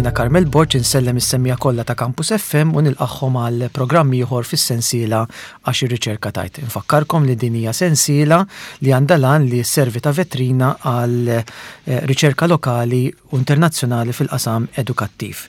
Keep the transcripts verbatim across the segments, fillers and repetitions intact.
Jiena Carmel Borg insellem is-semmiegħa kollha ta' Campus F M u nilqagħhom għal programm ieħor fis-sensiela Għax ir-Riċerka Tgħid. Infakkarkom li din hija sensiela li għandha l-għan li sservi ta' vetrina għal eh, riċerka lokali u internazzjonali fil-qasam edukattiv.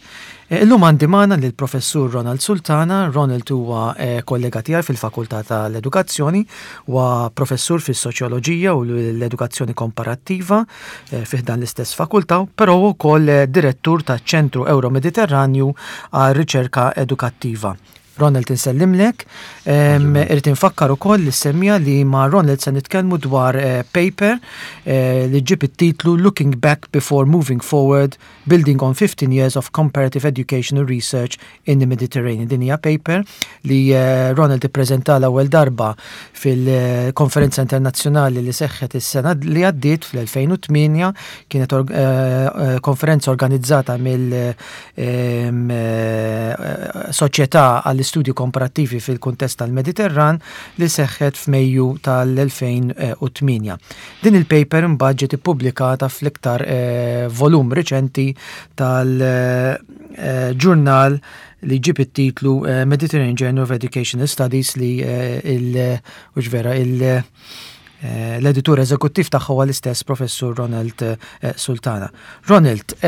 Eh, illum għandi magħna lill professur Ronald Sultana. Ronald huwa eh, kollega tiegħi fil-Fakultà tal-Edukazzjoni, huwa professur fis-soċjoloġija u l-edukazzjoni komparattiva eh, fi ħdan l-istess fakultà, però wkoll direttur taċ-Ċentru Euro-Mediterranju għal Riċerka Edukattiva. Ronald, insellimlek. Irrid infakkar ukoll lis-semmiegħa li ma' Ronald se nitkellmu dwar paper li ġib it-titlu "Looking Back Before Moving Forward: Building on fifteen Years of Comparative Educational Research in the Mediterranean". Din hija paper li Ronald ippreżenta l-ewwel darba fil-konferenza internazzjonali li seħħet is-sena li għaddiet fl-elfejn u tmienja. Kienet konferenza organizzata mill Soċjetà għall-Istudju Komparattivi fil-kuntest tal-Mediterran li seħħet f'Mejju tal-elfejn u tmienja. Din il-paper imbagħad ġiet ippubblikata fl-iktar volum riċenti tal-ġurnal li ġib it-titlu Mediterranean Journal of Educational Studies, li il vera il- l-editur eżekuttiv tagħha huwa l-istess professur Ronald Sultana. Ronald,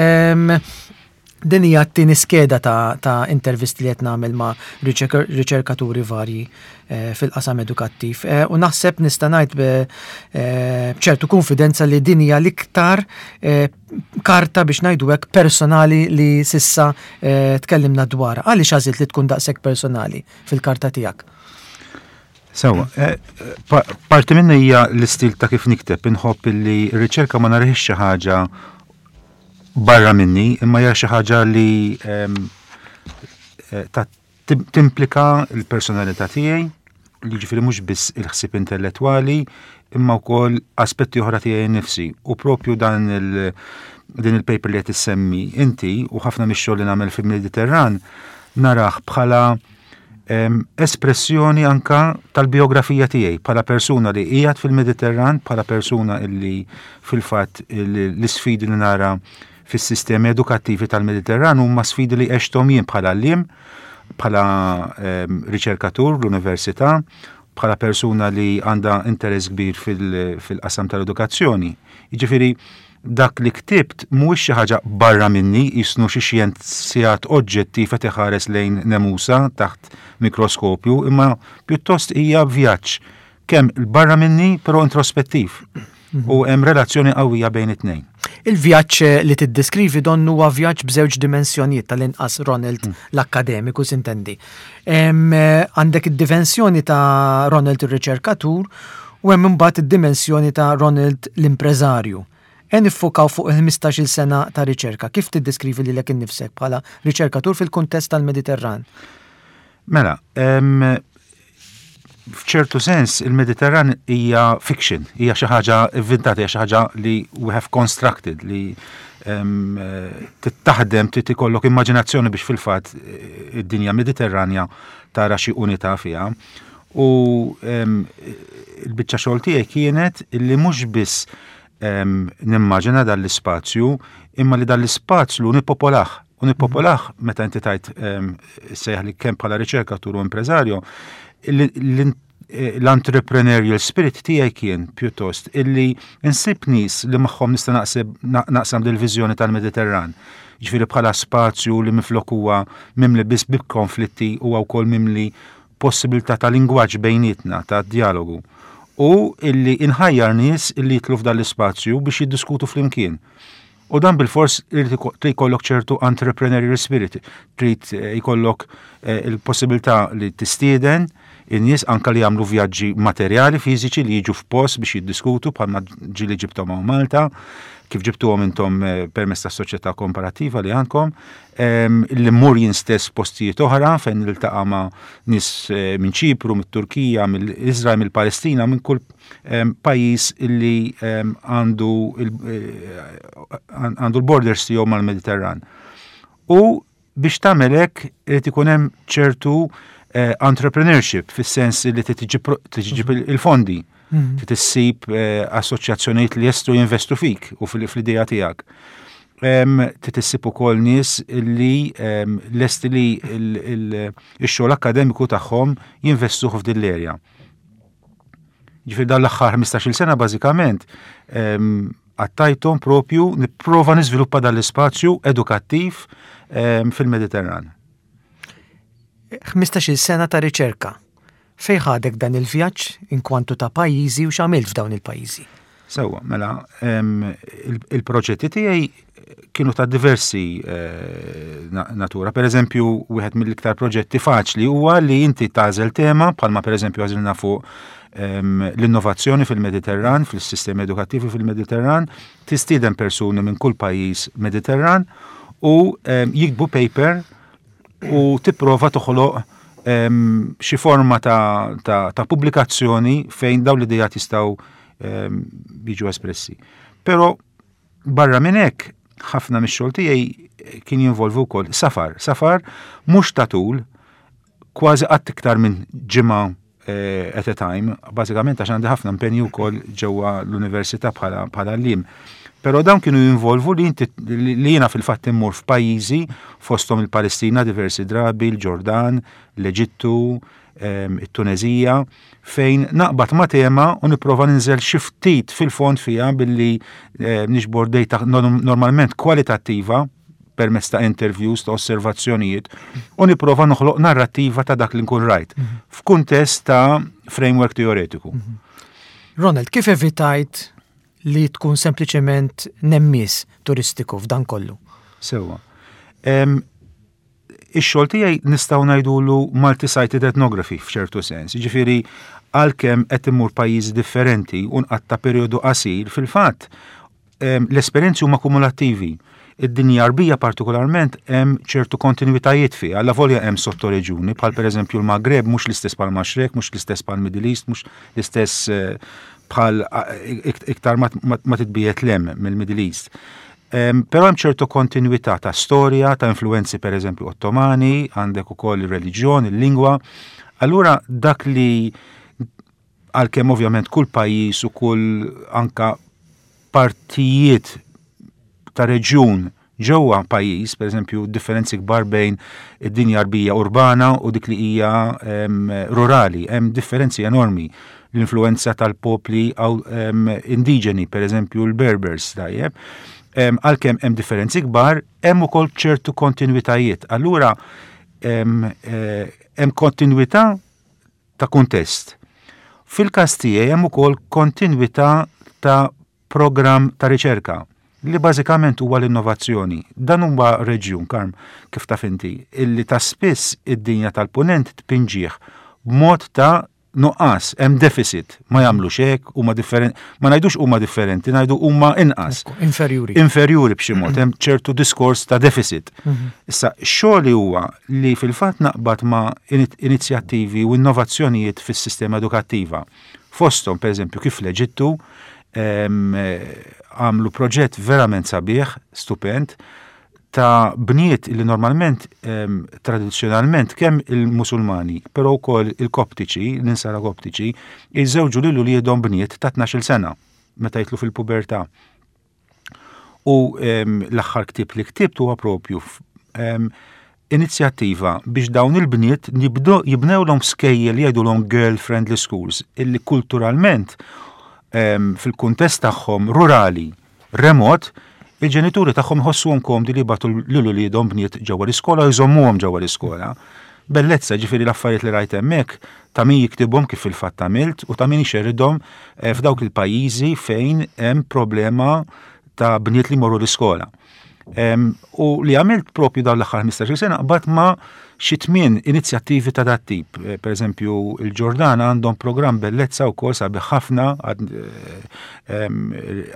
din hija t-tieni skeda ta', ta' intervisti li qed nagħmel ma' riċerkaturi varji fil-qasam edukattiv. U naħseb nista' ngħid b'ċertu konfidenza li din hija l-iktar karta, biex ngħidu hekk, personali li s'issa tkellimna dwar. Għaliex għażilt li tkun daqshekk personali fil-karta tiegħek? Sewa, parti minna hija l-istil ta' kif nikteb. Inħobb li r-riċerka ma narahiex xi ħaġa barra minni, imma hija xi ħaġa li ta' timplika l-personalità tiegħi, li ġifieri mhux biss il-ħsieb intellettwali, imma wkoll aspetti oħra tiegħi nnifsi. U propju dan il din il-paper li qed issemmi inti u ħafna mix-xogħol li nagħmel fil-Mediterran narah bħala espressjoni anka tal-biografija tiegħi bħala persuna li qiegħed fil-Mediterran, bħala persuna illi fil-fatt l-isfidi li nara fis-sistemi edukattivi tal-Mediterran huma sfidi li għexthom jien bħala għalliem, bħala riċerkatur l-università, bħala persuna li għandha interess kbir fil-qasam tal-edukazzjoni. Jiġifieri dak li ktibt mhuwiex xi ħaġa barra minni, jisnu xi xjenzjat oġġettiv qed iħares lejn nemusa taħt mikroskopju, imma pjuttost hija vjaġġ kemm barra minni, però introspettiv. U hemm relazzjoni qawwija bejn it-tnejn. Il-vjaġġ li tiddeskrivi donnu huwa vjaġġ b'żewġ dimensjonijiet, tal-inqas Ronald l-akkademiku s'intendi. Għandek id-dimensjoni ta' Ronald ir-riċerkatur u hemm imbagħad id-dimensjoni ta' Ronald l-impreżarju. E niffukaw fuq il-ħmistax-il sena ta' riċerka. Kif tiddeskrivi lilek innifsek bħala riċerkatur fil-kuntest tal-Mediterran? Mela, f'ċertu sens il-Mediterran hija fiction, hija xi ħaġa inventata, hija xi ħaġa li we have constructed, li tittaħdem, trid ikollok immaġinazzjoni biex fil-fatt id-dinja Mediterranja tara xi unità fiha. U il-biċċa xogħol tiegħi kienet illi mhux biss nimmaġina dan l-ispazju, imma li dan l-ispazju nipopolah. U nipopolah meta inti tajt sejjaħ li kemm bħala riċerkatur u impreżarju, l-entrepreneurial spirit tiegħi kien pjuttost illi insib nies li magħhom nista' naqsam dil-viżjoni tal-Mediterran. Ġifieri bħala spazju li minflok huwa mimli biss bi konflitti, huwa wkoll mimli possibilità ta' lingwaġġ bejnietna, ta' dialogu. U illi inħajjar nies illi jidħlu f'dan l-ispazju biex jiddiskutu flimkien. U dan bil-fors trid jkollok ċertu entrepreneurial spirit, trid jkollok il-possibilità li tistieden in-nies anka li jagħmlu vjaġġi materjali fiżiċi, li jiġu f'post biex jiddiskutu, bħalma ġieli ġibthom hawn Malta, kif ġibtuhom intom permezz tas-soċjetà komparattiva li għandkom, li mmur jien stess postijiet oħra fejn niltaqa' ma' nies minn Ċipru, mit-Turkija, mill-Iżrael, mill-Palestina, minn kull pajjiż illi għandu għandu l-borders tiegħu mal-Mediterran. U biex tagħmel hekk irid ikun hemm ċertu entrepreneurship, fis-sens li tiġib il-fondi, trid issib assoċjazzjonijiet li jistgħu jinvestu fik u fl-idea tiegħek. Trid issib ukoll nies li lesti li x-xogħol akkademiku tagħhom jinvestuh f'din l-erja. Ġifieri dan l-aħħar ħmistax-il sena bażikament għattajthom propju nipprova niżviluppa dan l-ispazju edukattiv fil-Mediterran. ħmistax-il sena ta' riċerka. Fejn ħadek dan il-vjaġġ inkwantu ta' pajjiżi u x'għamilt f'dawn il-pajjiżi? Sewwa, mela, il-proġetti tiegħi kienu ta' diversi eh, natura. Per eżempju, wieħed mill-iktar proġetti faċli huwa li inti tagħżel tema, bħalma per eżempju għażilna fuq l-innovazzjoni fil-Mediterran, fil-sistemi edukattivi fil-Mediterran, tistieden persuni minn kull pajjiż Mediterran u jiktbu paper u tipprova toħloq xi forma ta', ta, ta' pubblikazzjoni fejn dawn l-idejat jistgħu jiġu espressi. Però barra minn hekk, ħafna mix-xogħol tiegħi kien jinvolvu wkoll safar. Safar mhux ta' tul, kważi qatt iktar minn ġimgħa eh, at a time, bażikament għax għandi ħafna impenju wkoll ġewwa l-università bħala bħala għalliem. Però dawn kienu jinvolvu li inti li jiena fil-fatt immur f'pajjiżi, fosthom il-Palestina diversi drabi, il-Ġordan, l-Eġittu, it-Tunezija, fejn naqbad ma' tema u nipprova ninżel xi ftit fil-fond fiha billi niġbor data normalment kwalitattiva permezz ta' interviews, ta' osservazzjonijiet, u nipprova noħloq narrattiva ta' dak li nkun rajt, mhm. f'kuntest ta' framework teoretiku. Mhm. Ronald, kif evitajt li tkun sempliċement nemmis turistiku f'dan kollu? Sewwa. Ix-xogħol tiegħi nistgħu ngħidulu multi-sited ethnography f'ċertu sens. Jiġifieri għalkemm qed immur pajjiżi differenti u nqatta' perjodu qasir, fil-fatt l-esperjenzi huma kumulattivi. Id-dinja Arbija partikolarment hemm ċertu kontinuitajiet fiha, allavolja hemm sottoreġjuni, bħal pereżempju l-Maghreb mhux l-istess bħal Maxrek, mhux l-istess bħal Middle East, mhux l-istess eh, bħal iktar ma titbiegħed 'l hemm mill-Middle East. Però hemm ċertu kontinuità ta' storja, ta' influenzi per eżempju Ottomani, għandek ukoll ir-reliġjon, il-lingwa. Allura dak li għalkemm ovvjament kull pajjiż u kull anka partijiet ta' reġjun ġewwa pajjiż, per eżempju, differenzi kbar bejn id-dinja Arbija urbana u dik li hija rurali, hemm differenzi enormi. L-influenza tal-popli indiġeni, per eżempju l-Berbers, tajjeb. Għalkemm hemm differenzi kbar, hemm ukoll ċertu kontinuitajiet. Allura hemm eh, kontinuità ta' kuntest. Fil-każ tiegħi hemm ukoll kontinuità ta' programm ta' riċerka li bażikament huwa l-innovazzjoni. Dan huwa reġjun, Karm, kif taf inti, illi ta' spiss id-dinja tal-punent tpinġih b'mod ta' nuqqas, hemm deficit, ma jagħmlux hekk, huma differenti, ma ngħidux huma differenti, ngħidu huma inqas. Inferjuri. Inferjuri b'xi mod, hemm ċertu diskors ta' deficit. Mhm. Issa, xogħli huwa li fil-fatt naqbad ma' inizjattivi u innovazzjonijiet fis-sistema edukattiva. Fosthom, per eżempju, kif l-Eġittu għamlu proġett verament sabiħ, stupend, ta' bniet li normalment tradizzjonalment kemm il-Musulmani, però wkoll il-Koptiċi, l-insara Koptiċi, jiżżewġu lil uliedhom bniet ta' tnax-il sena meta jitlu fil-pubertà. U l-aħħar ktieb li ktibt huwa propju inizjattiva biex dawn il-bniet jibnewlhom skejjel li jgħidulhom girl friendly schools illi kulturalment fil-kuntest tagħhom rurali remot il-ġenituri tagħhom jħossuhom komdi li jibagħtu lil uliedhom bniet ġewwa l-iskola u jżommuhom ġewwa l-iskola. Bellezza, ġifieri l-affarijiet li rajt hemmhekk ta' min jiktibhom kif fil-fatt għamilt u ta' min ixerridhom eh, f'dawk il-pajjiżi fejn hemm problema ta' bniet li jmorru l-iskola. U li għamilt propju dawn l-aħħar ħmistax-il sena qbad ma' xi tmien inizjattivi ta' dat tip. Eh, per eżempju, il-Ġordan għandhom programm bellezza wkoll sabiħ ħafna,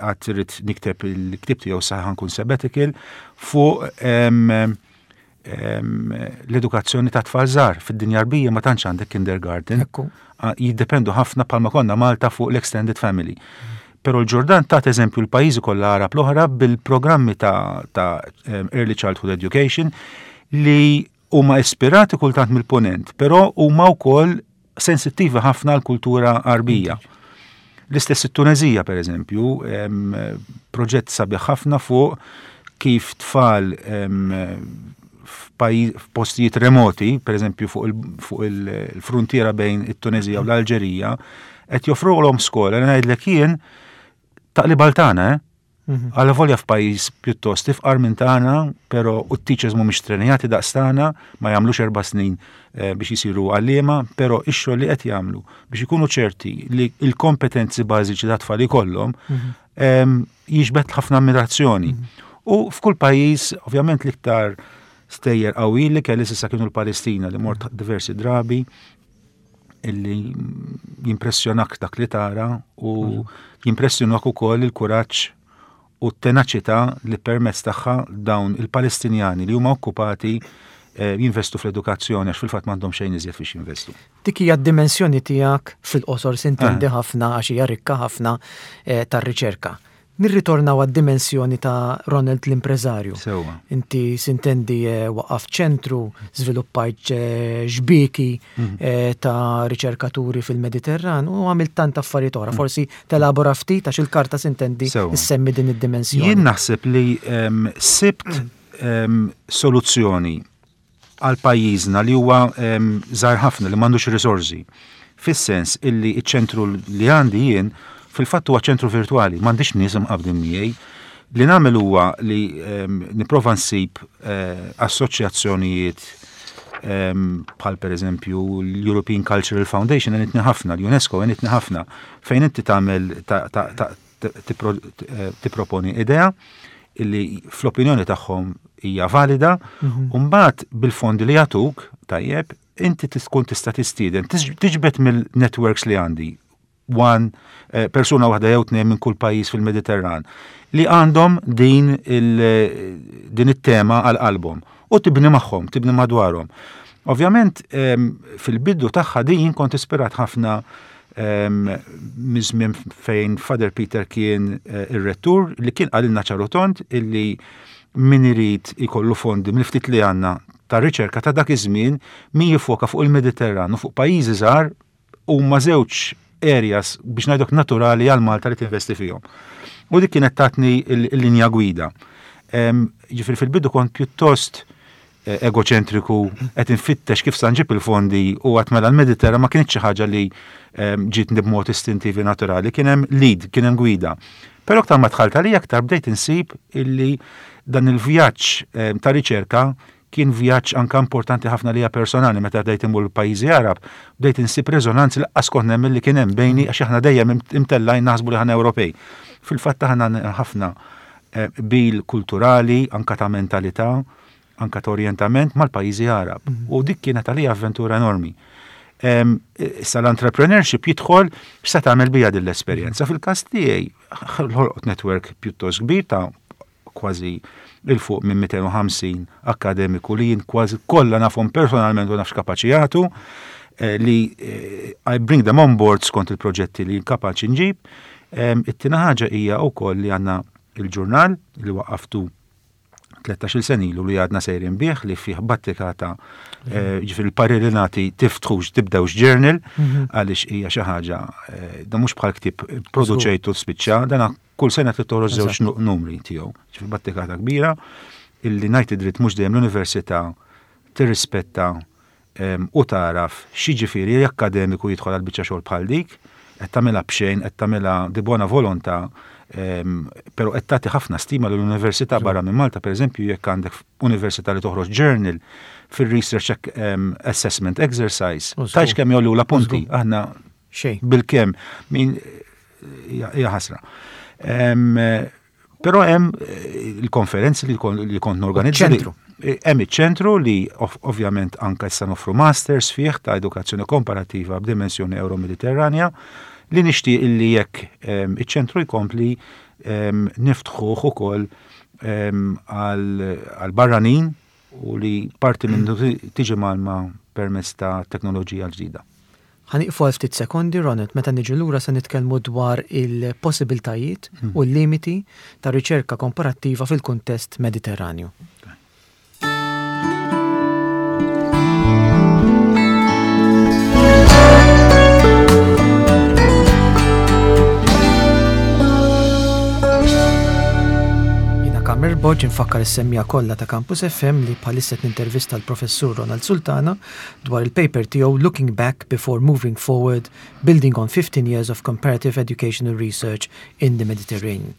għad irrid nikteb il-ktieb tiegħu saħan kun sabbatical fuq l-edukazzjoni ta' tfal żgħar. Fid-dinja Arbija ma tantx għandek kindergarten. Jiddependu ħafna bħalma konna Malta fuq l-extended family. Pero l-Ġordan tat eżempju l-pajjiżi kollha Arab l-oħra bil-programmi ta', ta Early Childhood Education li huma ispirati kultant mill-ponent, però huma wkoll sensittivi ħafna l-kultura Arbija. L-istess it-Tunezija, per eżempju, proġett sabiħ ħafna fuq Kif tfal f'postijiet remoti, per eżempju fuq il-frontiera bejn it-Tunezija u l-Alġerija, qed joffrulhom skola li ngħidlek jien taqlib tagħna, eh? Għalla volja f'pajjiż pjuttost ifqar minn tagħna, però u t-teachers mhumiex trenjati daqs tagħna, ma jagħmlux erba' snin biex jisiru għalliema, però ix-xogħol li qed jagħmlu biex ikunu ċerti li l-kompetenzi bażiċi ta' tfal ikollhom jiġbed ħafna ammirazzjoni. U f'kull pajjiż, ovvjament l-iktar stejjer qawwi li kelli s'issa kienu l-Palestina, li mort diversi drabi, illi jimpressjonak dak li tara u jimpressjonak ukoll il-kuraġġ u t-tenaċità li permezz tagħha dawn il-Palestinjani li huma okkupati jinvestu fl-edukazzjoni, għax fil-fatt m'għandhom xejn iżjed biex jinvestu. Dik hija d-dimensjoni tiegħek fil-qosor, sintendi, ħafna għax hija rikka ħafna tar-riċerka. Nirritornaw għad-dimensjoni ta' Ronald l-impreżarju. Sewwa. Inti sintendi waqaf ċentru, żviluppajt xbieki ta' riċerkaturi fil-Mediterran u għamilt tant affarijiet oħra. Forsi telabora ftit għax il-karta sintendi issemmi din id-dimensjoni. Jien naħseb li sibt soluzzjoni għal pajjiżna li huwa żgħar ħafna, li m'għandux risorsi. Fis-sens illi iċ-ċentru li għandi jien fil-fatt huwa ċentru virtuali, m'għandix nies imqabbdin miegħi. Li nagħmel huwa li nipprova nsib assoċjazzjonijiet bħal pereżempju l-European Cultural Foundation għenitni ħafna, l-UNESCO għenitni ħafna, fejn inti tagħmel tipproponi idea illi fl-opinjoni tagħhom hija valida, u mbagħad bil-fondi li jagħtuk, tajjeb, inti tkun tista' tistieden, tiġbed mill-networks li għandi, one persuna waħda jew tnejn minn kull pajjiż fil-Mediterran li għandhom din din it-tema għal qalbhom u tibni magħhom, tibni madwarhom. Ovvjament fil-bidu tagħha din kont ispirat ħafna miż-żmien fejn Father Peter kien ir-rettur li kien qalilna ċarutont illi min irid ikollu fondi mill-ftit li għandna ta' riċerka ta' dak iż-żmien min jifoka fuq il-Mediterran u fuq pajjiżi żgħar huma żewġ areas biex ngħidok naturali għal Malta li tinvesti fihom. U dik kienet tatni l-linja gwida. Ġifieri fil-bidu kont pjuttost egoċentriku, qed infittex kif sa nġib il-fondi u għat mela l-Mediterran ma kienx xi ħaġa li ġietni b'mod istintivi naturali, kien hemm lead, kien hemm gwida. Però aktar ma dħalt għalija aktar bdejt insib illi dan il-vjaġġ ta' riċerka kien vjaġġ anka importanti ħafna lija personali. Meta bdejt imur l-pajjiżi Arab, bdejt insib reżonanzi li lanqas kont nemmen li kien hemm bejni, għax aħna dejjem imtellajn naħsbu li aħna Ewropej. Fil-fatt aħna ħafna bil kulturali, anka ta' mentalità, anka ta' orientament mal-pajjiżi Arab. U dik kienet għalija avventura enormi. Issa l-entrepreneurship jidħol x'se tagħmel bija din l-esperjenza. Fil-każ tiegħi ħolqot network pjuttost kbir ta' kważi il fuq minn mitejn u ħamsin akademiku li jien kważi kollha nafhom personalment u nafx kapaċi jagħtu, li I bring them on board skont il-proġetti li kapaċi nġib. It-tieni ħaġa hija wkoll li għandna il-ġurnal li waqqaftu tlettax-il sena ilu li għadna sejrin bih, li fih battikata, ġifieri il-parir li nagħti tiftħux, tibdewx journal, għaliex hija xi ħaġa, da mhux bħal ktieb produċejtu spiċċa, dana kull sena trid toħroġ żewġ numri tiegħu. Ġifieri battikata kbira illi ngħid id-dritt mhux dejjem l-università tirrispetta u taraf x'jiġifieri akkademiku jidħol għal biċċa xogħol bħal dik, qed tagħmilha b'xejn, qed tagħmilha di buona volontà, però qed tagħti ħafna stima lill-università barra minn Malta, pereżempju jekk għandek università li toħroġ journal fil-research assessment exercise, tgħidx kemm jgħollu la punti, aħna bil-kemm min hija ħasra. Però hemm il-konferenzi li kont norganizza. Ċentru. Hemm iċ-ċentru li ovvjament anka issa noffru masters fih ta' edukazzjoni komparattiva b'dimensjoni Euro-Mediterranja, li nixtieq illi jekk iċ-ċentru jkompli niftħuh ukoll għal barranin u li parti minnu tiġi malma permezz ta' teknoloġija ġdida. Ħa nieqfu għal ftit sekondi, Ronald, meta niġu lura se nitkellmu dwar il-possibiltajiet u l-limiti ta' riċerka komparattiva fil-kuntest Mediterranju. Borg, infakkar is-semmiegħa kollha ta' Campus F M li bħalissa nintervista l-Professur Ronald Sultana dwar il-paper tiegħu "Looking Back Before Moving Forward: Building on fifteen Years of Comparative Educational Research in the Mediterranean".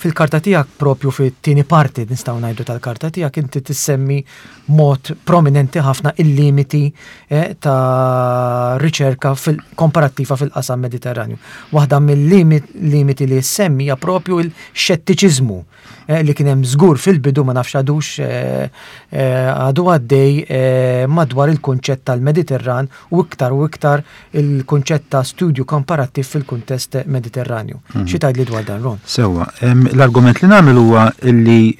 Fil-karta tiegħek, propju fit-tieni parti, nistgħu ngħidu, tal-karta tiegħek, inti tissemmi mod prominenti ħafna il-limiti eh, ta' riċerka fil-komparattiva fil-qasam Mediterranju. Waħda mill-limiti li semmi hija propju il-xettiċiżmu eh, li kien hemm żgur fil-bidu, ma nafx għadux eh, eh, għadu għaddej eh, madwar il-kunċett tal-Mediterran u iktar u iktar il-kunċett ta' studju komparattiv fil-kuntest Mediterranju. Mm -hmm. Xi tgħidli dwar dan, Ron? Sewwa, l-argument li nagħmel huwa li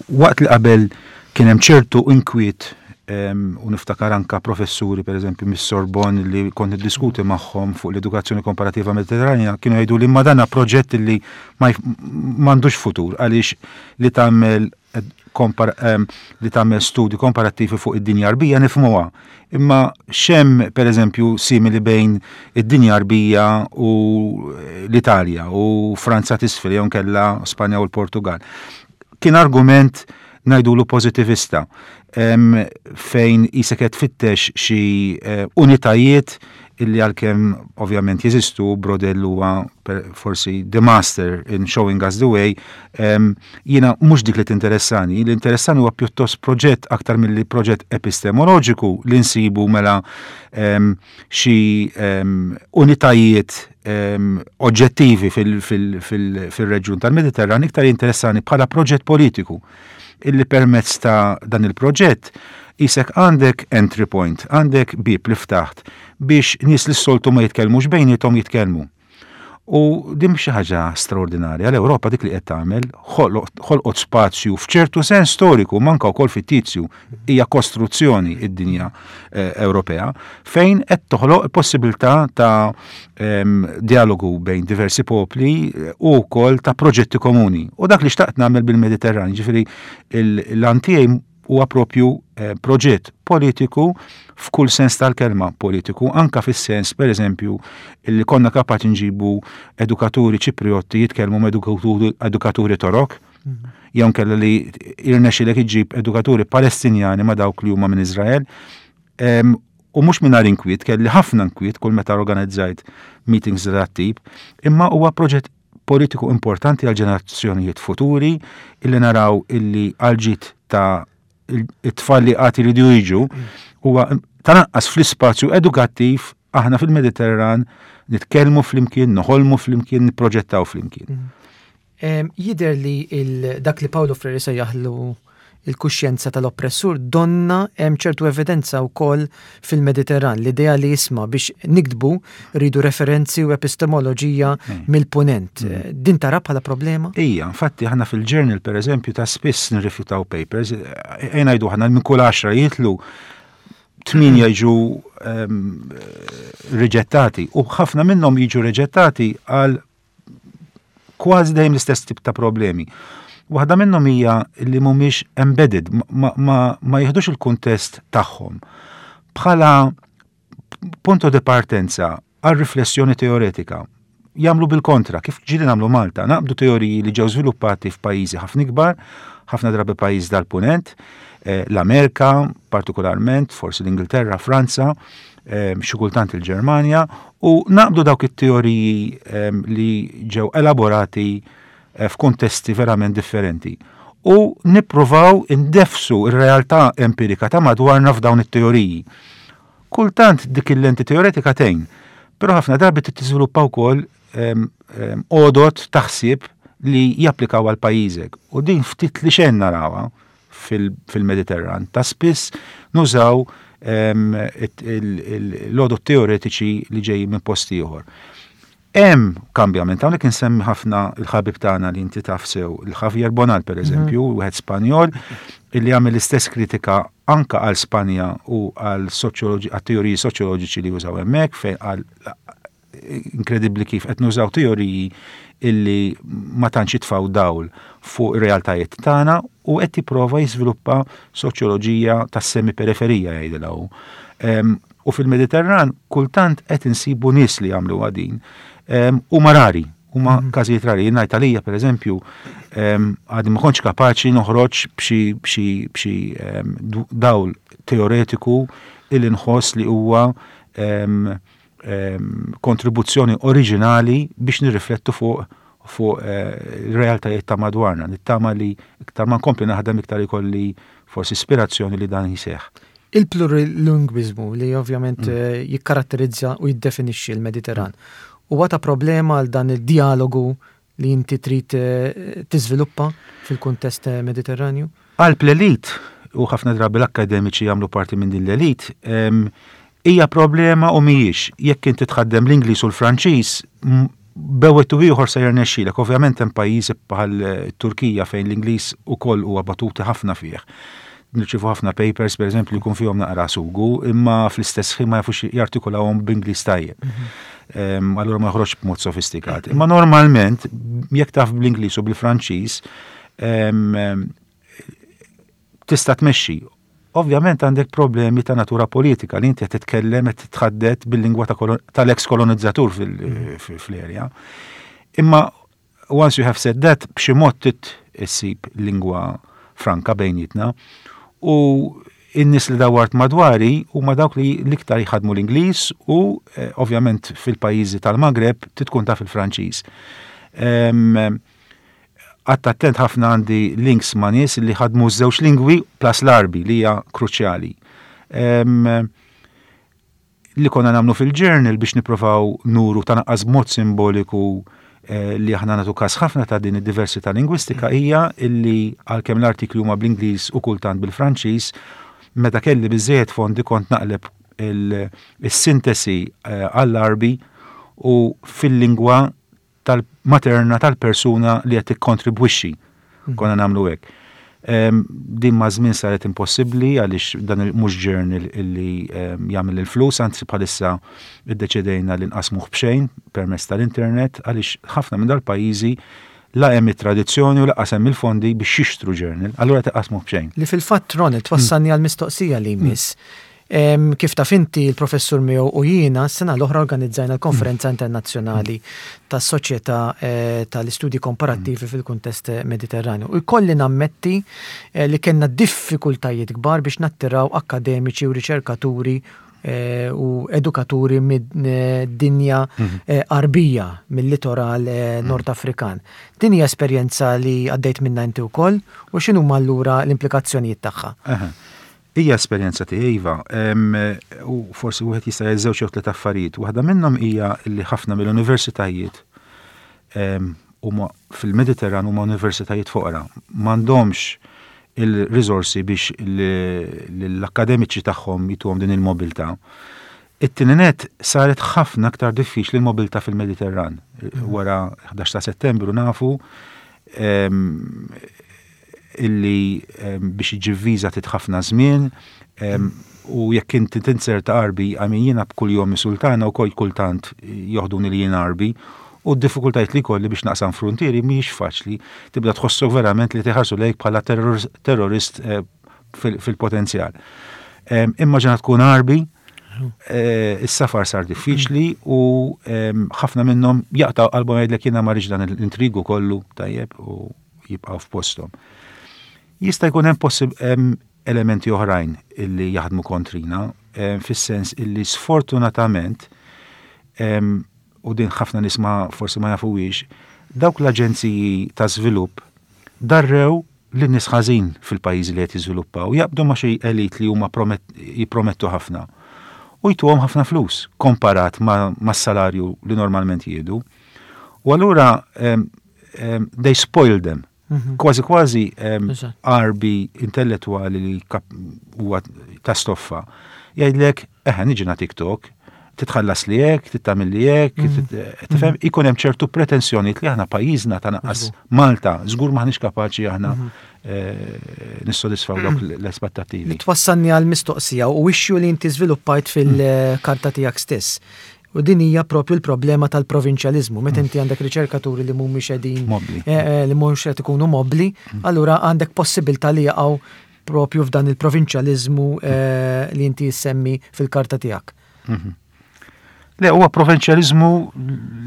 waqt li qabel kien hemm ċertu inkwiet, u niftakar anka professuri, per eżempju, mis-Sorbonne li kont niddiskuti magħhom fuq l-edukazzjoni komparativa Mediterranja, kienu jgħidu li ma dana proġett li m'għandux futur għaliex li tagħmel li tagħmel studji komparattivi fuq id-dinja Għarbija nifhmuha. Imma x'hemm, per eżempju, simili bejn id-dinja Għarbija u l-Italja u Franza t'isfel jew kella Spanja u l-Portugal? Kien argument, ngħidulu, pozitivista, fejn qisek qed tfittex xi eh, unitajiet illi għalkemm ovvjament jeżistu, Braudel huwa forsi the master in showing us the way, jiena mhux dik li tinteressani, li interessani huwa pjuttost proġett aktar milli proġett epistemoloġiku li nsibu mela xi unitajiet oġġettivi fil-reġjun tal-Mediterran. Iktar interessani bħala proġett politiku illi permezz ta' dan il-proġett qisek għandek entry point, għandek bib li ftaħt biex nies li s-soltu ma jitkellmux bejniethom jitkellmu. U din xi ħaġa straordinarja, l-Ewropa dik li qed tagħmel, ħolqot spazju f'ċertu sens storiku, manka wkoll fittizju, hija kostruzzjoni id-dinja eh, Ewropea, fejn qed toħloq possibilità ta' dialogu bejn diversi popli eh, u wkoll ta' proġetti komuni. U dak li xtaqt nagħmel bil-Mediterran, ġifieri l-għan tiegħi huwa propju eh, proġett politiku f'kull sens tal-kelma politiku, anka fis-sens, per eżempju, li konna kapaċi nġibu edukaturi Ċipriotti jitkellmu ma' edukaturi Torok, mm. jew kella li irnexxilek iġib edukaturi Palestinjani ma' dawk li huma minn Izrael. U mhux mingħajr inkwiet, kelli ħafna inkwiet kull meta organizzajt meetings dat-tip, imma huwa proġett politiku importanti għal ġenerazzjonijiet futuri illi naraw illi għal ta' it-tfal li għad iridu jiġu huwa tal-anqas fl-ispazju edukattiv aħna fil-Mediterran nitkellmu flimkien, noħolmu flimkien, nipproġettaw flimkien. Mm. Jidher li dak li Paolo Freire sejjaħlu il-kuxjenza tal-oppressur, donna hemm ċertu evidenza wkoll fil-Mediterran, l-idea li jisma' biex niktbu rridu referenzi u epistemoloġija mm. mill-punent. Mm. Din tara bħala problema? Ija, infatti aħna fil-journal, per eżempju, ta' spiss nirrifjutaw papers, ejja ngħidu aħna minn kull għaxra jitilgħu, tmienja jiġu um, riġettati u ħafna minnhom jiġu riġettati għal kważi dejjem l-istess tip ta' problemi. Waħda minnhom hija li mhumiex embedded, ma, ma, ma jieħdux il-kuntest tagħhom bħala punto di partenza għal riflessjoni teoretika. Jagħmlu bil-kontra, kif ġieli nagħmlu Malta, naqbdu teoriji li ġew żviluppati f'pajjiżi ħafna ikbar, ħafna drabi pajjiż dal-punent, eh, l-Amerika partikolarment, forsi l-Ingilterra, Franza, eh, xi kultant il-Ġermanja, u naqbdu dawk it-teoriji eh, li ġew elaborati Eh, f'kontesti verament differenti. U nippruvaw indefsu ir-realtà empirika ta' madwarna f'dawn it-teoriji. Kultant dik il-lenti teoretika tgħin, però ħafna drabi tiżviluppa wkoll għodod taħsib li japplikaw għal pajjiżek. U din ftit li xejn narawha fil-Mediterran. Ta' spiss nużaw l-għodod teoretiċi li ġej minn post ieħor. Hemm kambjament, hawnhekk insemmi ħafna il-ħabib tagħna li inti taf sew, il-Javier Bonal, per eżempju, mhm. wieħed Spanjol illi għamel l-istess kritika anka għal Spanja u għal għal teoriji soċjoloġiċi li użaw hemmhekk, fejn għal inkredibbli kif qed nużaw teoriji illi ma tantx jitfgħu dawl fuq ir-realtajiet tagħna, u qed jipprova jiżviluppa soċjoloġija tas-semi-periferija, jgħidilha hu. U fil-Mediterran kultant qed insibu nies li jagħmlu din. Huma rari, Huma mm. każijiet rari. Jien ngħid għalija, pereżempju, għadi ma kontx kapaċi noħroġ b'xi b'xi b'xi dawl teoretiku illi nħoss li huwa kontribuzzjoni oriġinali biex nirriflettu fuq fuq eh, realtajiet ta' madwarna. Nittama li iktar ma nkompli naħdem, iktar ikolli forsi ispirazzjoni li dan jiseħ. Il-plurilingwiżmu li ovvjament mm. eh, jikkaratterizza u jiddefinixxi l-Mediterran huwa ta' problema għal dan il-dialogu li inti trid eh, tiżviluppa fil-kuntest Mediterranju? Għal l-elit, u ħafna drabi l-akademiċi jagħmlu parti minn din l-elit, hija problema u mhijiex. Jekk inti tħaddem l-Ingliż u l-Franċiż, bejn wieħed u ieħor se jirnexxilek. Ovvjament hemm pajjiżi bħal Turkija fejn l-Ingliż ukoll huwa batuti ħafna fih. Nirċivu ħafna papers, per eżempju, jkun fihom naqra sugu, imma fl-istess ħin ma jafux jartikulawhom b'Ingliż tajjeb. Mhm. Allura ma joħroġ b'mod sofistikat. Imma normalment, jekk taf bl-Ingliż u bil-Franċiż, tista' tmexxi. Ovvjament għandek problemi ta' natura politika li inti qed titkellem, qed titħaddet bil-lingwa tal-ex kolonizzatur fl-erja. Imma once you have said that, b'xi mod trid issib lingwa franka bejnietna u in-nies li dawart madwari huma dawk li l-iktar jħadmu l-Ingliż u eh, ovvjament fil-pajjiżi tal-Magreb tkun taf il-Franċiż. Għadt attent ħafna, għandi links ma' nies li ħadmu żewġ lingwi plus l-Arbi li hija kruċjali. Li konna nagħmlu fil-journal biex niprofaw nuru ta' naqqas b'mod simboliku eh, li aħna nagħtu kas ħafna ta' din id-diversità lingwistika hija illi għalkemm l-artikli huma bl-Ingliż u kultant bil-Franċiż, meta kelli biżejjed fondi kont naqleb il-sintesi eh, għall-Arbi u fil-lingwa tal-materna tal-persuna li qed tikkontribwixxi. Mhm. Konna nagħmlu hekk. Din ma' żmien saret impossibbli għaliex dan mhux journal illi jagħmel il-flus, anzi bħalissa iddeċidejna li nqasmuh b'xejn permezz tal-internet għaliex ħafna minn dal-pajjiżi la hemm it-tradizzjoni u lanqas hemm il-fondi biex jixtru journal, allura tqasmuh b'xejn. Li fil-fatt, Ronald, twassalni għal mistoqsija li jmiss. Kif taf inti, il-professur miegħu u jiena s-sena l-oħra organizzajna l-Konferenza Internazzjonali tas-Soċjetà eh, tal-Istudji Komparattivi fil-kuntest Mediterranju. U jkolli nammetti eh, li kellna diffikultajiet kbar biex nattiraw akademiċi u riċerkaturi eh, u edukaturi mid-dinja mhm. Arbija, mill-litoral mhm. Nord Afrikan. Din hija esperjenza li għaddejt minna inti wkoll u x'inhuma allura l-implikazzjonijiet tagħha? Hija esperjenza tiegħi, iva, u forsi wieħed jista' jgħid żewġ jew tliet affarijiet. Waħda minnhom hija li ħafna mill-universitajiet huma fil-Mediterran huma universitajiet foqra. M'għandhomx il-riżorsi biex l-akademiċi tagħhom jituhom din il-mobilità. It-tieni nett, saret ħafna aktar diffiċli l-mobilità fil-Mediterran. Wara ħdax ta' Settembru nafu illi biex iġib viża trid ħafna żmien u jekk inti tinzerta Arbi, għamin jiena b'kull jum sultana u kol kultant joħduni li jien Arbi u d-diffikultajiet li kolli biex naqsam frontieri mhijiex faċli, tibda tħossok verament li tiħarsu lejk bħala terrorist eh, fil-potenzjal. Immaġina tkun Arbi, eh, is-safar sar diffiċli u ħafna minnhom jaqtaw qalbhom, jgħidlek jiena ma dan l-intrigu kollu, tajjeb, u jibqgħu f'posthom. Jista' jkun hemm elementi oħrajn illi jaħdmu kontrina, fis-sens illi sfortunatament, u din ħafna nies ma forsi ma jafuwix, dawk l-aġenziji ta' żvilupp darrew lin-nies ħażin fil-pajjiżi li qed jiżviluppaw, jaqbdu ma' xi elit li huma jippromettu ħafna u jtuhom ħafna flus komparat ma' salarju li normalment jieħdu. U allura they spoil them. Mhm. Kważi kważi Arbi intellettuali li huwa ta' stoffa jgħidlek, "Eħe, niġi nagħtik talk, titħallas li hekk, tittamil li hekk," mhm. tifhem, ikun hemm ċertu pretensjoni li aħna pajjiżna, ta' naqqas Malta, żgur maħniex kapaċi aħna mhm. eh, nissodisfaw dawk l-aspettattivi. Li twassalni għal mistoqsija u issue li inti żviluppajt fil-karta tiegħek stess. U din hija propju l-problema tal-provinċjalizmu. Meta inti għandek riċerkaturi li mhumiex qegħdin eh, eh, li mhux qed ikunu mobbli, mm. allura għandek possibilità li jaqgħu propju f'dan il-provinċjalizmu eh, li inti semmi fil-karta tiegħek. Mhm. Le, huwa provinċjaliżmu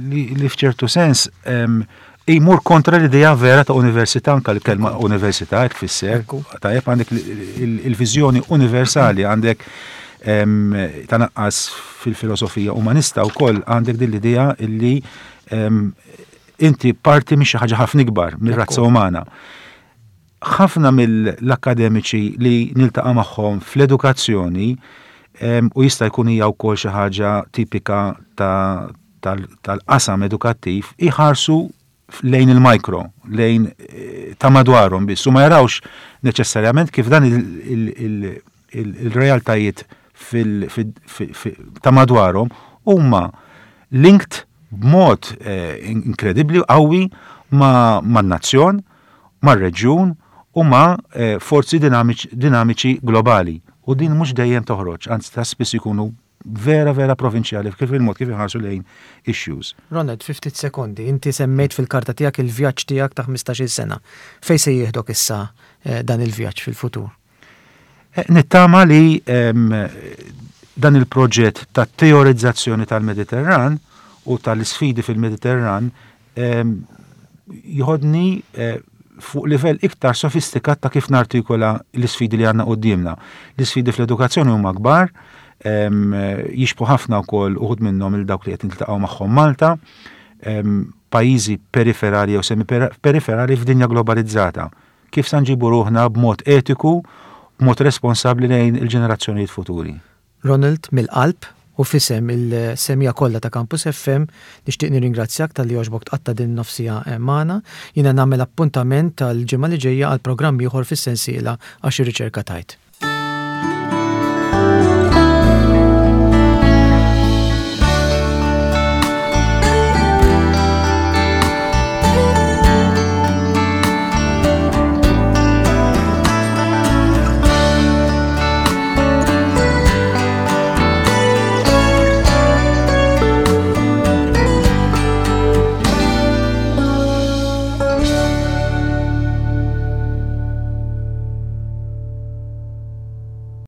li, li f'ċertu sens em, imur kontra l-idea vera ta' università, anka l-kelma università hekk tfisser. Ekku. Tajjeb, għandek il-viżjoni universali, għandek em, tanaqqas fil-filosofija umanista wkoll għandek din l-idea illi em, inti parti minn xi ħaġa ħafna ikbar mir-razza Ekku. umana. Ħafna mill-akademiċi li niltaqa' magħhom fl-edukazzjoni em, u jista' jkun hija wkoll xi ħaġa tipika ta' tal- tal-qasam edukattiv, iħarsu lejn il-mikro, lejn eh, ta' madwarhom biss, u ma jarawx neċessarjament kif dan il- il- il- il- il-realtajiet fil- fil- fi- fi- ta' madwarhom huma linked b'mod eh, inkredibbli qawwi ma' man-nazzjon, mar-reġjun u ma' eh, forzi dinamiċi, dinamiċi globali. U din mhux dejjem toħroġ, anzi ta' spiss ikunu vera vera provinċjali kif il-mod kif iħarsu lejn issues. Ronald, fi ftit sekondi, inti semmejt fil-karta tiegħek il-vjaġġ tiegħek ta' ħmistax-il sena. Fejn se jieħdok issa eh, dan il-vjaġġ fil-futur? Eh, Nittama li em, dan il-proġett ta' teorizzazzjoni tal-Mediterran u tal-isfidi fil-Mediterran em, jħodni eh, fuq livell iktar sofistikat ta' kif nartikola l-isfidi li għandna qudiemna. L-isfidi fl-edukazzjoni huma kbar, em, jixbħu ħafna wkoll uħud minnhom il dawk li qed niltaqgħu magħhom Malta, em, pajjiżi periferali jew semi-periferali f'dinja globalizzata. Kif sa nġibu ruħna b'mod etiku, b'mod responsabbli lejn il-ġenerazzjonijiet futuri. Ronald, mill-qalb u f'isem il-semmiegħa kollha ta' Campus F M nixtieq nirringrazzjak talli għoġbok tqatta' din nofs siegħa magħna. Jiena nagħmel appuntament tal-ġimgħa li ġejja għal programm ieħor fis-sensiela Għax ir-Riċerka Tgħid.